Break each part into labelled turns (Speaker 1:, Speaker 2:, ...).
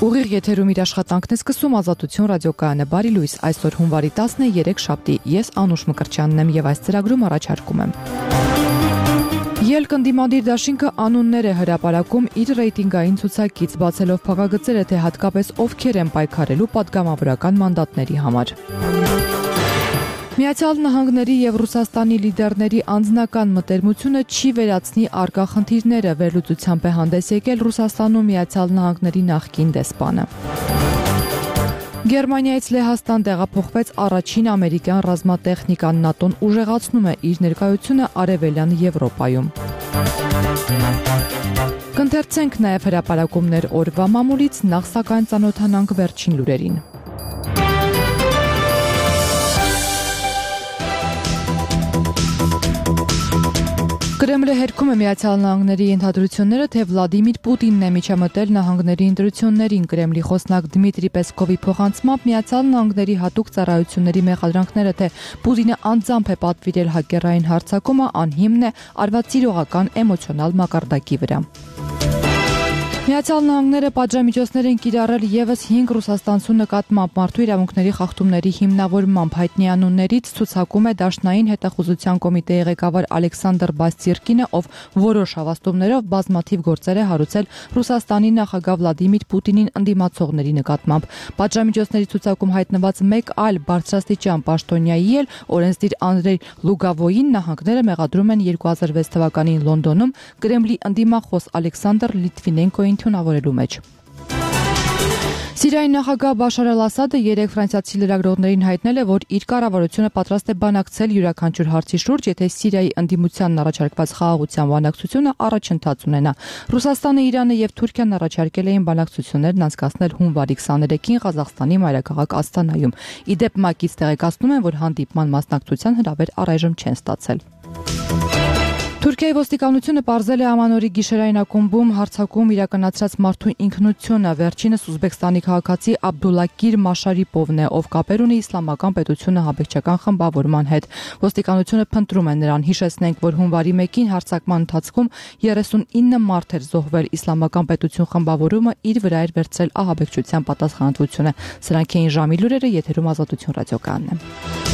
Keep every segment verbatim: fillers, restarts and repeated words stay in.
Speaker 1: Ուղիղ եթերում իր աշխատանքն է սկսում Ազատություն ռադիոկայանը։ Բարի լույս, այսօր հունվարի տասներեք շաբթի։ Ես Անուշ Մկրտչյանն եմ եւ այս ծրագրում առաջարկում եմ։ Ելք ընդդիմադիր դաշինքը անուններ է հրապարակում իր ռեյտինգային ցուցակից, բացելով փակագծերը, թե հատկապես ովքեր են պայքարելու պատգամավորական մանդատների համար։ Միացյալ Նահանգների եւ Ռուսաստանի լիդերների անձնական մտերմությունը չի վերացնի առկա խնդիրները, վերլուծությամբ է հանդես եկել Ռուսաստանում Միացյալ Նահանգների նախկին դեսպանը։ Գերմանիայից Լեհաստան տեղափոխվեց առաջին ամերիկյան ռազմատեխնիկան, ՆԱՏՕ-ն ուժեղացնում է իր ներկայությունը Արևելյան Եվրոպայում։ Կընթերցենք նաեւ հրապարակումներ օրվա մամուլից, նախ սակայն ծանոթանանք վերջին լուրերին։ Կրեմլը հերքում է Միացյալ Նահանգների ենթադրությունները, թե Վլադիմիր Պուտինն է միջամտել նահանգների ընտրություններին։ Կրեմլի խոսնակ Դմիտրի Պեսկովի փոխանցմամբ Միացյալ Նահանգների հատուկ ծառայությունների մեղադրանքները, թե Պուտինը անձամբ է պատվիրել հակերային հարձակումը, անհիմն է, արված սիրողական էմոցիոնալ մակարդակի վրա։ Միացյալ Նահանգները պատժամիջոցներ են կիրառել եւս հինգ ռուսաստանցու նկատմամբ մարդու իրավունքների խախտումների հիմնավորմամբ հայտնի անուններից ցուցակում է Դաշնային հետախուզության կոմիտեի ղեկավար Ալեքսանդր Բաստիրկինը, ով որոշ հավաստումներով բազմաթիվ գործեր է հարուցել Ռուսաստանի նախագահ Վլադիմիր Պուտինին ընդդիմացողների նկատմամբ։ Պատժամիջոցների ցուցակում հայտնված մեկ այլ բարձրաստիճան պաշտոնյայի էլ օրենսդիր Անդրեյ Լուգավոյին նահանգները մեղադրում են երկու հազար վեց թվականին Լոնդոնում Կրեմլի ընդդիմախոս Ալեքսանդր Լիտվինենկոյին թունավորելու մեջ։ Սիրիայի նախագահ Բաշար Ալ-Ասադը երեկ ֆրանսիացի լրագրողներին հայտնել է, որ իր կառավարությունը պատրաստ է բանակցել յուրաքանչյուր հարցի շուրջ, եթե Սիրիայի ընդդիմությանն առաջարկված խաղաղության բանակցությունը առաջընթաց ունենա։ Ռուսաստանը, Իրանը եւ Թուրքիան առաջարկել էին բանակցություններն անցկացնել հունվարի քսաներեքին Ղազախստանի մայրաքաղաք Աստանայում։ Ի դեպ, ՄԱԿ-ից տեղեկացնում են, որ հանդիպման մասնակցության հրավեր առայժմ չեն ստացել։ Թուրքիայի ոստիկանությունը պարզել է ամանորի գիշերային ակումբում հարձակում իրականացրած մարդու ինքնությունը։ Վերջինս Ուզբեկստանի քաղաքացի Աբդուլակիր Մաշարիպովն է, ով կապեր ունի իսլամական պետությունը հաբեկչական խմբավորման հետ։ Ոստիկանությունը փնտրում է նրան։ Հիշեցնենք, որ հունվարի մեկին հարձակման ընթացքում երեսունինը մարդ էր զոհվել։ Իսլամական պետություն խմբավորումը իր վրա էր վերցրել ահաբեկչության պատասխանատվությունը։ Սրանք էին ժամի լուրերը, եթերում Ազատություն ռադիոկայանն է։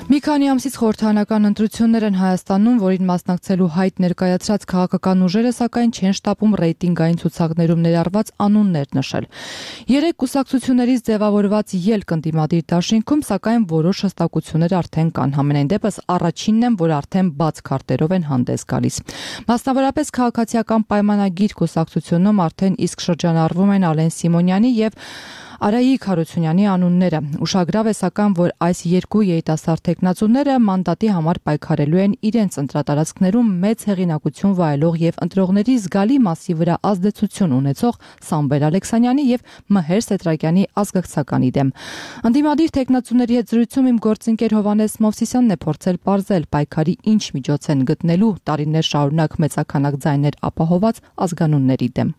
Speaker 1: Մի քանի ամսից խորհրդարանական ընտրություններ են Հայաստանում, որին մասնակցելու հայտ ներկայացրած քաղաքական ուժերը, սակայն չեն շտապում ռեյտինգային ցուցակներում ներառված անուններ նշել։ Երեք կուսակցություններից ձևավորված ելք ընդդիմադիր դաշինքում, սակայն որոշ հստակություններ արդեն կան։ Համենայն դեպս առաջինն են, որ արդեն բաց քարտերով են հանդես գալիս։ Մասնավորապես քաղաքացիական պայմանագիր կուսակցությունում արդեն իսկ շրջանառվում են Ալեն Սիմոնյանի եւ Արայիկ Հարությունյանի անունները։ Ուշագրավ է սակայն, որ այս երկու երիտասարդ տեխնացուները մանդատի համար պայքարելու են իրենց ընտրատարածքներում մեծ հեղինակություն վայելող եւ ընտրողների զգալի մասի վրա ազդեցություն ունեցող Սամվել Ալեքսանյանի եւ Մհեր Սետրակյանի ազգակցականի դեմ։ Ընդդիմադիր տեխնացուների հետ զրույցում իմ գործընկեր Հովհաննես Մովսիսյանն է փորձել պարզել պայքարի ինչ միջոց են գտնելու տարիներ շարունակ մեծականակ ձայներ ապահոված ազգանունների դեմ։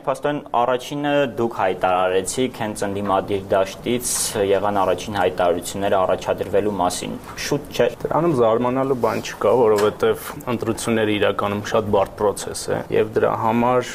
Speaker 2: Փաստորեն առաջինը դուք հայտարարեցիք հենց ընդդիմադիր դաշտից եղան առաջին հայտարարությունները առաջադրվելու մասին։ Շուտ չէ։
Speaker 3: Դրանում զարմանալու բան չկա, որովհետև ընտրությունները իրականում շատ բարդ process է եւ դրա համար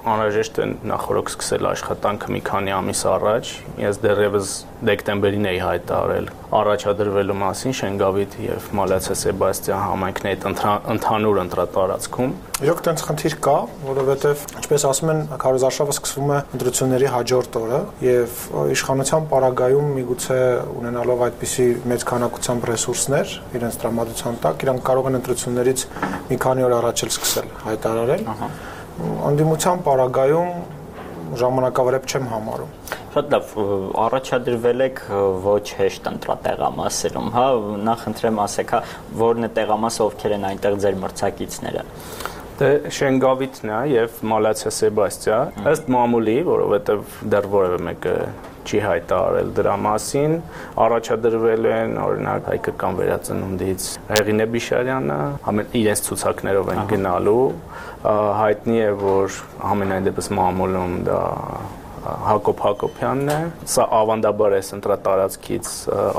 Speaker 3: անհրաժեշտ է նախորդ սկսել աշխատանքը մի քանի ամիս առաջ։ Ես դեռևս դեկտեմբերին էի հայտարարել առաջադրվելու մասին Շենգավիթ եւ Մալացիա Սեբաստիան համայնքների հետ ընդհանուր ընտրատարածքում։
Speaker 4: Իրոք տենց խնդիր կա, որովհետև ինչպես ասում են, քարոզարշավը սկսվում է ընտրությունների հաջորդ օրը եւ իշխանության պարագայում միգուցե ունենալով այդպիսի մեծ քանակությամբ ռեսուրսներ իրենց տրամադրության տակ, իրանք կարող են ընտրություններից մի քանի օր առաջ էլ սկսել հայտարարել։ Անդիմության պարագայում ժամանակավրեպ չեմ համարում։
Speaker 2: Շատ լավ, առաջադրվել եք ոչ հեշտ ընտրատեղամասերում, հա, նախ ընտրեմ ասեք, հա, որն է տեղամասը, ովքեր են այնտեղ ձեր մրցակիցները։
Speaker 3: Դե Շենգավիթն է եւ Մալացիա Սեբաստիա, ըստ մամուլի, որովհետեւ դեռ որևէ մեկը չի հայտարարել դրա մասին, առաջադրվել են օրինակ հայկական վերածնունդից Հեղինե Բիշարյանը, իրենց ցուցակներով են գնալու, հայտնի է, որ ամենայն դեպս մամուլում դա Հակոբ Հակոբյանն է, սա ավանդաբար է ընտրատարածքից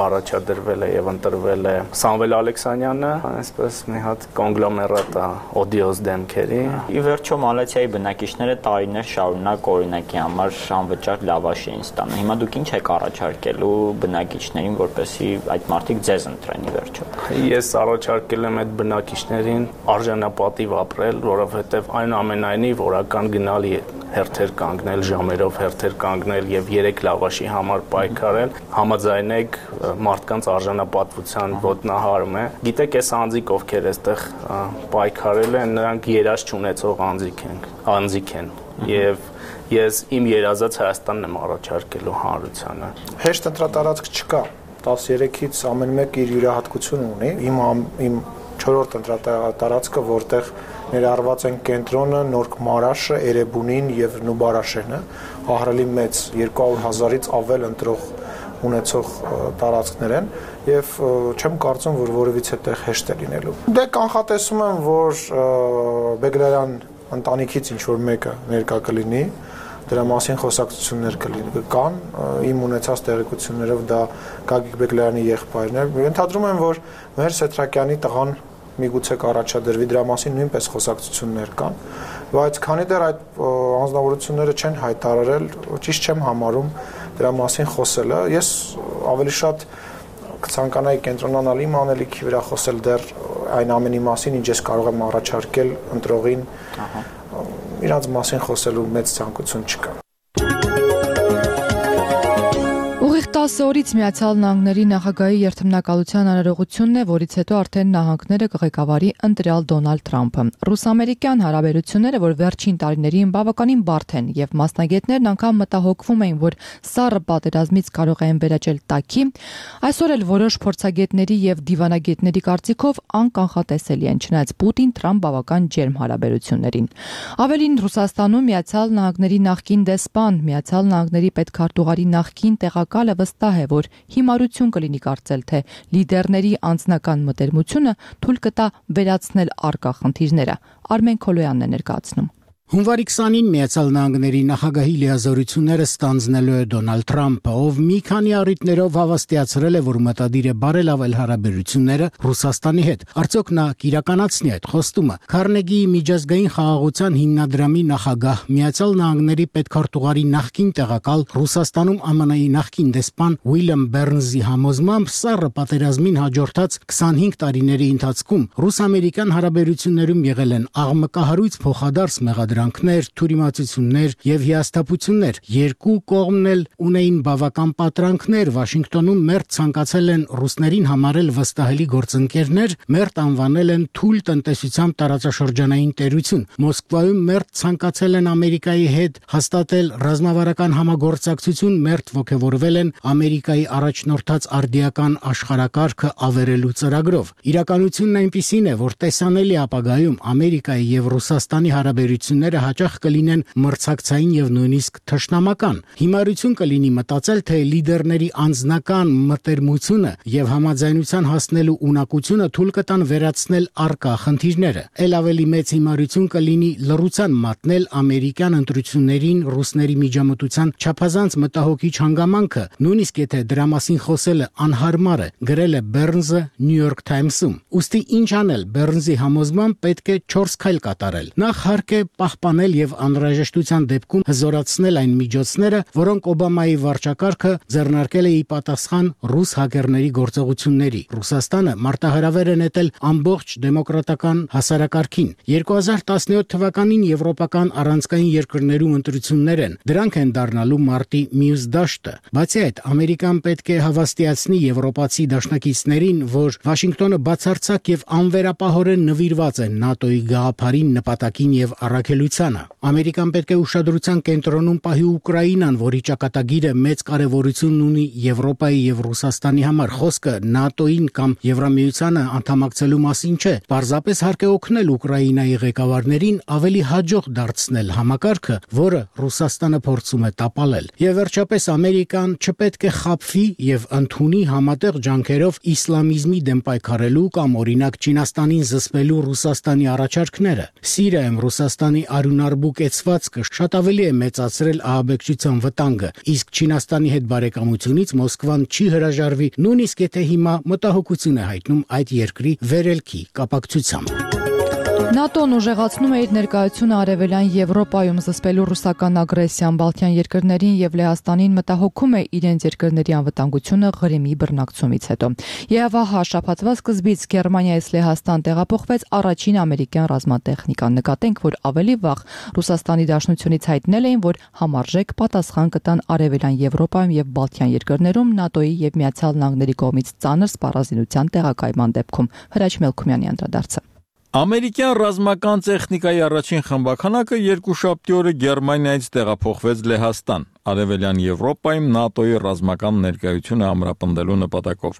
Speaker 3: առաջադրվել է եւ ընտրվել է Սամվել Ալեքսանյանը, այսպես մի հատ կոնգլոմերատ է օդիոզ դեմքերի։
Speaker 2: Ի վերջո Մալաթիայի բնակիչները տարիներ շարունակ օրինակի համար անվճար լավաշ էին ստանում։ Հիմա դուք ինչ եք առաջարկելու բնակիչներին, որպեսզի այդ մարդիկ ձեզ ընտրեն ի վերջո։
Speaker 3: Ես առաջարկել եմ այդ բնակիչներին արժանապատիվ ապրել, որովհետեւ այնուամենայնիվ որական գնալ հերթեր կանգնել, ժամերով հերթեր կանգնել եւ երեք լավաշի համար պայքարել, համաձայնեք մարդկանց արժանապատվության ոտնահարում է։ Գիտեք, այս անձիկ ովքեր այստեղ պայքարել են, նրանք երազ չունեցող անձիկ են, անձիկ են եւ ես իմ երազած Հայաստանն եմ առաջարկելու հանրությանը։
Speaker 4: Հեշտ ընտրատարածք չկա, տասներեքից ամեն մեկ իր յուրահատկությունը ունի։ Իմ իմ չորրորդ ընտրատարածքը, որտեղ ներառված են Կենտրոնը, Նորք Մարաշը, Էրեբունին եւ Նուբարաշենը, ահռելի մեծ երկու հարյուր հազարից ավել ընտրող ունեցող տարածքներ են եւ չեմ կարծում, որ որևիցե տեղ հեշտ է լինելու։ Դե կանխատեսում եմ, որ Բեգլարյան ընտանիքից ինչ որ մեկը ներկա կլինի, դրա մասին խոսակցություններ կլինի կան, իմ ունեցած տեղեկություններով դա Գագիկ Բեգլարյանի եղբայրն է։ Ենթադրում եմ, որ մեր Սեթրակյանի տղան միգուցե կառաջադրվի, դրա մասին նույնպես խոսակցություններ կան, բայց քանի դեռ այդ անձնավորությունները չեն հայտարարել, ճիշտ չեմ համարում դրա մասին խոսելը։ Ես ավելի շատ կցանկանայի կենտրոնանալ իմ անելիքի վրա, խոսել դեռ այն ամենի մասին, ինչ ես կարող եմ առաջարկել ընտրողին, իրանց մասին խոսելու մեծ ցանկություն չկա։
Speaker 1: Ուղիղ տասը օրից Միացյալ Նահանգների նախագահի երթմնակալության արարողությունն է, որից հետո արդեն նահանգները կղեկավարի ընտրյալ Դոնալդ Թրամփը։ Ռուս-ամերիկյան հարաբերությունները, որ վերջին տարիներին բավականին բարդ են, եւ մասնագետներն անգամ մտահոգվում էին, որ սառը պատերազմից կարող են վերաճել տաքի, այսօր էլ որոշ փորձագետների եւ դիվանագետների կարծիքով անկանխատեսելի են, չնայած Պուտին-Թրամփ բավական ջերմ հարաբերություններին։ Ավելին, Ռուսաստանում Միացյալ Նահանգների նախկին դեսպան, Միացյալ Նահանգների պետքարտուղարի նախկին տեղակալը վստահ է, որ հիմարություն կլինի կարծել, թե լիդերների անձնական մտերմությունը թույլ կտա վերացնել առկա խնդիրները։ Արմեն Քոլոյանն է ներկայացնում։
Speaker 5: Հունվարի քսանին Միացյալ Նահանգների նախագահի լիազորությունները ստանձնելու է Դոնալդ Թրամփը, ով մի քանի առիթներով հավաստիացրել է, որ մտադիր է բարելավել հարաբերությունները Ռուսաստանի հետ։ Արդյոք նա կիրականացնի այդ խոստումը։ Քարնեգիի միջազգային խաղաղության հիմնադրամի նախագահ, Միացյալ Նահանգների պետքարտուղարի նախկին տեղակալ, Ռուսաստանում Ամն Ի նախկին դեսպան Ուիլյամ Բերնզի համոզմամբ սառը պատերազմին հաջորդած քսանհինգ տարիների ընթացքում ռուս-ամերիկյան հարաբերություններում եղել են աղմկահարույց փոխադարձ մեղադրանքներ, թյուրիմացություններ եւ հիասթափություններ։ Երկու կողմն էլ ունեին բավական պատրանքներ։ Վաշինգտոնում մերթ ցանկացել են ռուսներին համարել վստահելի գործընկերներ, մերթ անվանել են թույլ տնտեսությամբ տարածաշրջանային տերություն։ Մոսկվայում մերթ ցանկացել են Ամերիկայի հետ հաստատել ռազմավարական համագործակցություն, մերթ ոգևորվել են Ամերիկայի առաջնորդած արդիական աշխարհակարգը ավերելու ծրագրով։ Իրականությունն այնպիսին է, որ տեսանելի ապագայում Ամերիկայի եւ Ռուսաստանի հարաբերությունները հաճախ կլինեն մրցակցային եւ նույնիսկ թշնամական։ Հիմարություն կլինի մտածել, թե լիդերների անձնական մտերմությունը եւ համաձայնության հասնելու ունակությունը թույլ կտան վերացնել առկա խնդիրները։ Էլ ավելի մեծ հիմարություն կլինի լռության մատնել ամերիկյան ընտրություններին ռուսների միջամտության չափազանց մտահոգիչ հանգամանքը, նույնիսկ եթե դրա մասին խոսելը անհարմար է, գրել է Բերնզը New York Times-ում։ Ուստի ինչ անել, Բերնզի համոզմամբ պետք է չորս քայլ կատարել։ Նախ հարկ է պահպանել եւ անհրաժեշտության դեպքում հզորացնել այն միջոցները, որոնք Օբամայի վարչակարգը ձեռնարկել է ի պատասխան ռուս հակերների գործողությունների։ Ռուսաստանը մարտահրավեր է նետել ամբողջ դեմոկրատական հասարակարգին։ երկու հազար տասնյոթ թվականին եվրոպական առանցքային երկրներում ընտրություններ են։ Դրանք են դառնալու մարտի մյուս դաշտը։ Բացի այդ, Ամերիկան պետք է հավաստիացնի եվրոպացի դաշնակիցներին, որ Վաշինգտոնը բացարձակ եւ անվերապահորեն նվիրված է ՆԱՏՕ-ի գաղափարին, նպատակին եւ առաքելությանը։ Ամերիկան պետք է ուշադրության կենտրոնում պահի Ուկրաինան, որի ճակատագիրը մեծ կարեւորություն ունի Եվրոպայի եւ Ռուսաստանի համար։ Խոսքը ՆԱՏՕ-ին կամ Եվրամիությանը անդամակցելու մասին չէ։ Պարզապես հարկ է օգնել Ուկրաինայի ղեկավարներին ավելի հաջող դարձնել համակարգը, որը Ռուսաստանը փորձում է տապալել։ Եվ վերջապես Ամերիկան չպետք է խաբվի եւ ընդունի համատեղ ջանքերով իսլամիզմի դեմ պայքարելու կամ օրինակ Չինաստանին զսպելու Ռուսաստանի առաջարկները։ Սիրիայում Ռուսաստանի արյունարբու կեցվածքը շատ ավելի է մեծացրել ահաբեկչության վտանգը, իսկ Չինաստանի հետ բարեկամությունից Մոսկվան չի հրաժարվի, նույնիսկ եթե հիմա մտահոգություն է հայտնում այդ երկրի վերելքի կապակցությամբ։
Speaker 1: ՆԱՏՕ-ն ուժեղացնում է իր ներկայությունը Արևելյան Եվրոպայում զսպելու ռուսական ագրեսիան Բալթյան երկրներին եւ Լեհաստանին մտահոգում է իրենց երկրների անվտանգությունը Ղրիմի բռնակցումից հետո։ Եվ ահա շաբաթվա սկզբից Գերմանիայից Լեհաստան տեղափոխվեց առաջին ամերիկյան ռազմատեխնիկան։ Նկատենք, որ ավելի վաղ Ռուսաստանի Դաշնությունից հայտնել էին, որ համարժեք պատասխան կտան Արևելյան Եվրոպայում եւ Բալթյան երկրներում ՆԱՏՕ-ի եւ Միացյալ Նահանգների կողմից ծանր սպառազինության տեղակայման դեպքում։ Հրաչ Մելքումյանի անդրադարձը։
Speaker 6: Ամերիկյան ռազմական տեխնիկայի առաջին խմբականակը երկուշաբթի օրը Գերմանիայից տեղափոխվեց Լեհաստան, Արևելյան Եվրոպայում ՆԱՏՕ-ի ռազմական ներկայությունը ամրապնդելու նպատակով։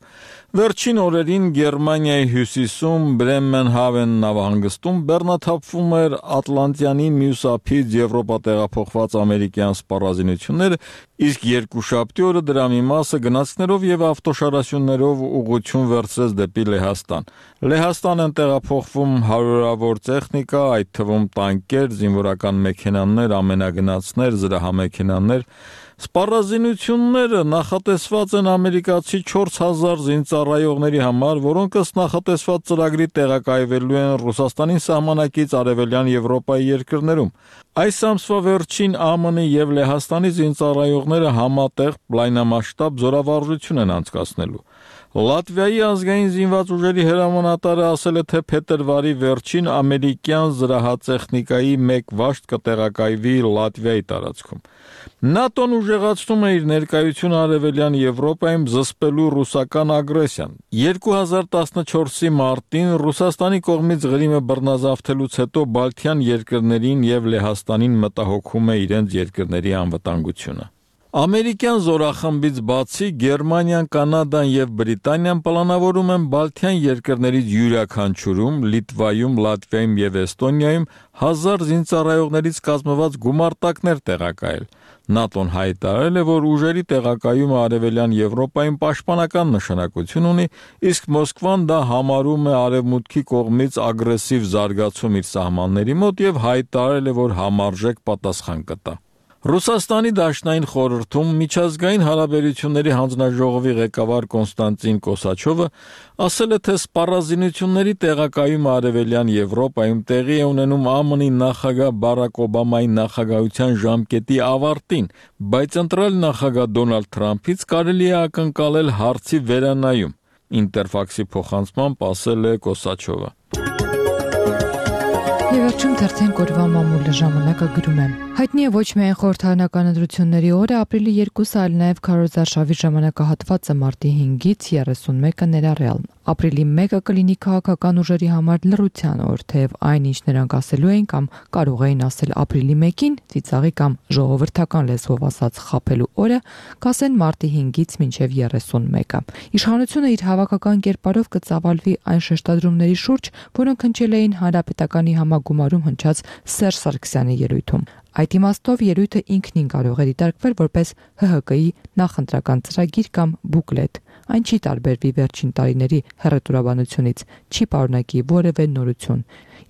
Speaker 6: Վերջին օրերին Գերմանիայի հյուսիսում Բրեմենհավեն նավահանգստում բեռնաթափվում էր Ատլանտյանի մյուս ափից Եվրոպա տեղափոխված ամերիկյան սպառազինությունները, իսկ երկուշաբթի օրը դրա մի մասը գնացքներով եւ ավտոշարասյուններով ուղղություն վերցրեց դեպի Լեհաստան։ Լեհաստան են տեղափոխվում հարյուրավոր տեխնիկա, այդ թվում տանկեր, զինվորական մեքենաներ, ամենագնացներ, զրահամեքենաներ։ Սպառազինությունները նախատեսված են ամերիկացի չորս հազար զինծառայողների համար, որոնք ըստ նախատեսված ծրագրի տեղակայվելու են Ռուսաստանի սահմանակից Արևելյան Եվրոպայի երկրներում։ Այս ամսվա վերջին ԱՄՆ-ի եւ Լեհաստանի զինծառայողները համատեղ լայնամասշտաբ զորավարժություն են անցկացնելու։ Լատվիայի ազգային զինված ուժերի հրամանատարը ասել է, թե փետրվարի վերջին ամերիկյան զրահատեխնիկայի մեկ վաշտ կտեղակայվի Լատվիայի տարածքում։ ՆԱՏՕ-ն ուժեղացնում է իր ներկայությունը Արևելյան Եվրոպայում զսպելու ռուսական ագրեսիան։ երկու հազար տասնչորսի մարտին Ռուսաստանի կողմից Ղրիմը բռնազավթելուց հետո Բալթյան երկրներին եւ Լեհաստանին մտահոգում է իրենց երկրների անվտանգությունը։ Ամերիկյան զորախմբից բացի Գերմանիան, Կանադան եւ Բրիտանիան պլանավորում են Բալթյան երկրներից յուրաքանչյուրում, Լիտվայում, Լատվիայում եւ Էստոնիայում հազար զինծառայողներից կազմված գումարտակներ տեղակայել։ ՆԱՏՕ-ն հայտարարել է, որ ուժերի տեղակայումը Արևելյան Եվրոպայում պաշտպանական նշանակություն ունի, իսկ Մոսկվան դա համարում է Արևմուտքի կողմից ագրեսիվ զարգացում իր սահմանների մոտ եւ հայտարարել է, որ համարժեք պատասխան կտա։ Ռուսաստանի Դաշնային խորհրդում միջազգային հարաբերությունների հանձնաժողովի ղեկավար Կոնստանտին Կոսաչովը ասել է, թե սպառազինությունների տեղակայումը Արևելյան Եվրոպայում տեղի է ունենում ԱՄՆ-ի նախագահ Բարակ Օբամայի նախագահության ժամկետի ավարտին, բայց ընտրել նախագահ Դոնալդ Թրամփից կարելի է ակնկալել հարցի վերանայում։ Ինտերֆաքսի փոխանցմամբ ասել է Կոսաչովը։
Speaker 1: Եվերջում թերթեն կորվա մամուլը ժամանակը գրում է։ Հայտնի է ոչ միայն խորհրդարանական ընտրությունների օրը, ապրիլի երկուսը, այլ նաև քարոզարշավի ժամանակահատվածը մարտի հինգից երեսունմեկը ներառյալ։ Ապրիլի մեկը կլինի քաղաքական ուժերի համար լռության օր, թեև այն, ինչ նրանք ասելու էին կամ կարող էին ասել ապրիլի մեկին, ծիծաղի կամ ժողովրդական լեզվով ասած խաբելու օրը, կասեն մարտի հինգից մինչև երեսունմեկը։ Իշխանությունը իր հավաքական կերպարով կծավալվի այն շեշտադրումների շուրջ, որոնք հնչել էին Հանրապետականի համագումարում հնչած Սերժ Սարգսյանի ելույթում։ Այդ իմաստով ելույթը ինքնին կարող է դիտարկվել որպես Հ Հ Կ-ի նախընտրական ծրագիր կամ բուկլետ։ Այն չի տարբերվի վերջին տարիների հռետորաբանությունից, չի պարունակի որևէ նորություն։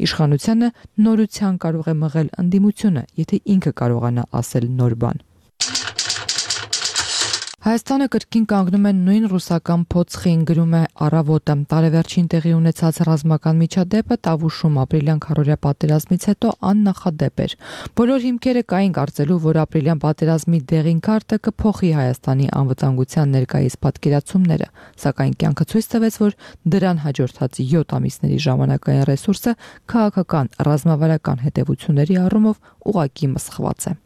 Speaker 1: Իշխանությանը նորության կարող է մղել ընդդիմությունը, եթե ինքը կարողանա ասել նոր բան։ Հայաստանը կրկին կանգնում է նույն ռուսական փոცხին, գրում է Առավոտը։ Տարեվերջին տեղի ունեցած ռազմական միջադեպը Տավուշում ապրիլյան քառորյա պատերազմից հետո աննախադեպ էր։ Բոլոր հիմքերը կային կարծելու, որ ապրիլյան պատերազմի դեղին քարտը կփոխի Հայաստանի անվտանգության ներկայիս պատկերացումները, սակայն կյանքը ցույց տվեց, որ դրան հաջորդած յոթ ամիսների ժամանակային ռեսուրսը քաղաքական ռազմավարական հետևությունների առումով ուղղակի մսխված է։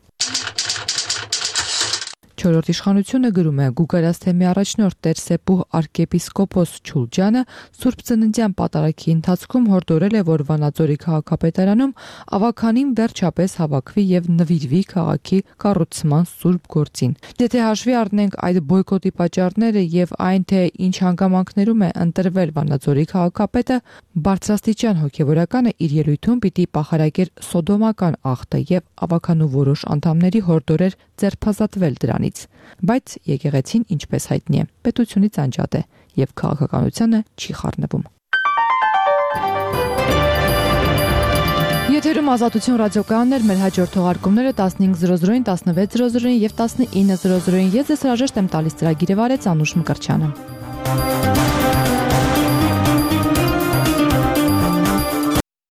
Speaker 1: Չորրորդ իշխանությունը գրում է Գուգարաց թեմի առաջնորդ Տեր-Սեպուհ arczepiskopos Չուլջյանը Սուրբ Ծննդյան պատարագի ընթացքում հորդորել է, որ Վանաձորի քաղաքապետարանում ավականին վերջապես հավաքվի եւ նվիրվի քաղաքի կառուցման սուրբ գործին։ Եթե հաշվի առնենք այդ բոյկոտի պատճառները եւ այն, թե ինչ հանգամանքներում է ընտրվել Վանաձորի քաղաքապետը, բարձրաստիճան հոգեվորականը իր ելույթում պիտի պահարակեր սոդոմական ախտը եւ ավականու որոշ անդամների հորդորեր ձերբազատվել դրանից, բայց եկեղեցին, ինչպես հայտնի է, պետությունից անջատ է եւ քաղաքականությանը չի խառնվում։ Եթերում Ազատություն ռադիոկայանն էր, մեր հաջորդ թողարկումները տասնհինգ զրո զրոին, տասնվեց զրո զրոին եւ տասնինը զրո զրոին։ Ես ձեզ հրաժեշտ եմ տալիս ծրագիրը վարեց Անուշ Մկրտչյանը։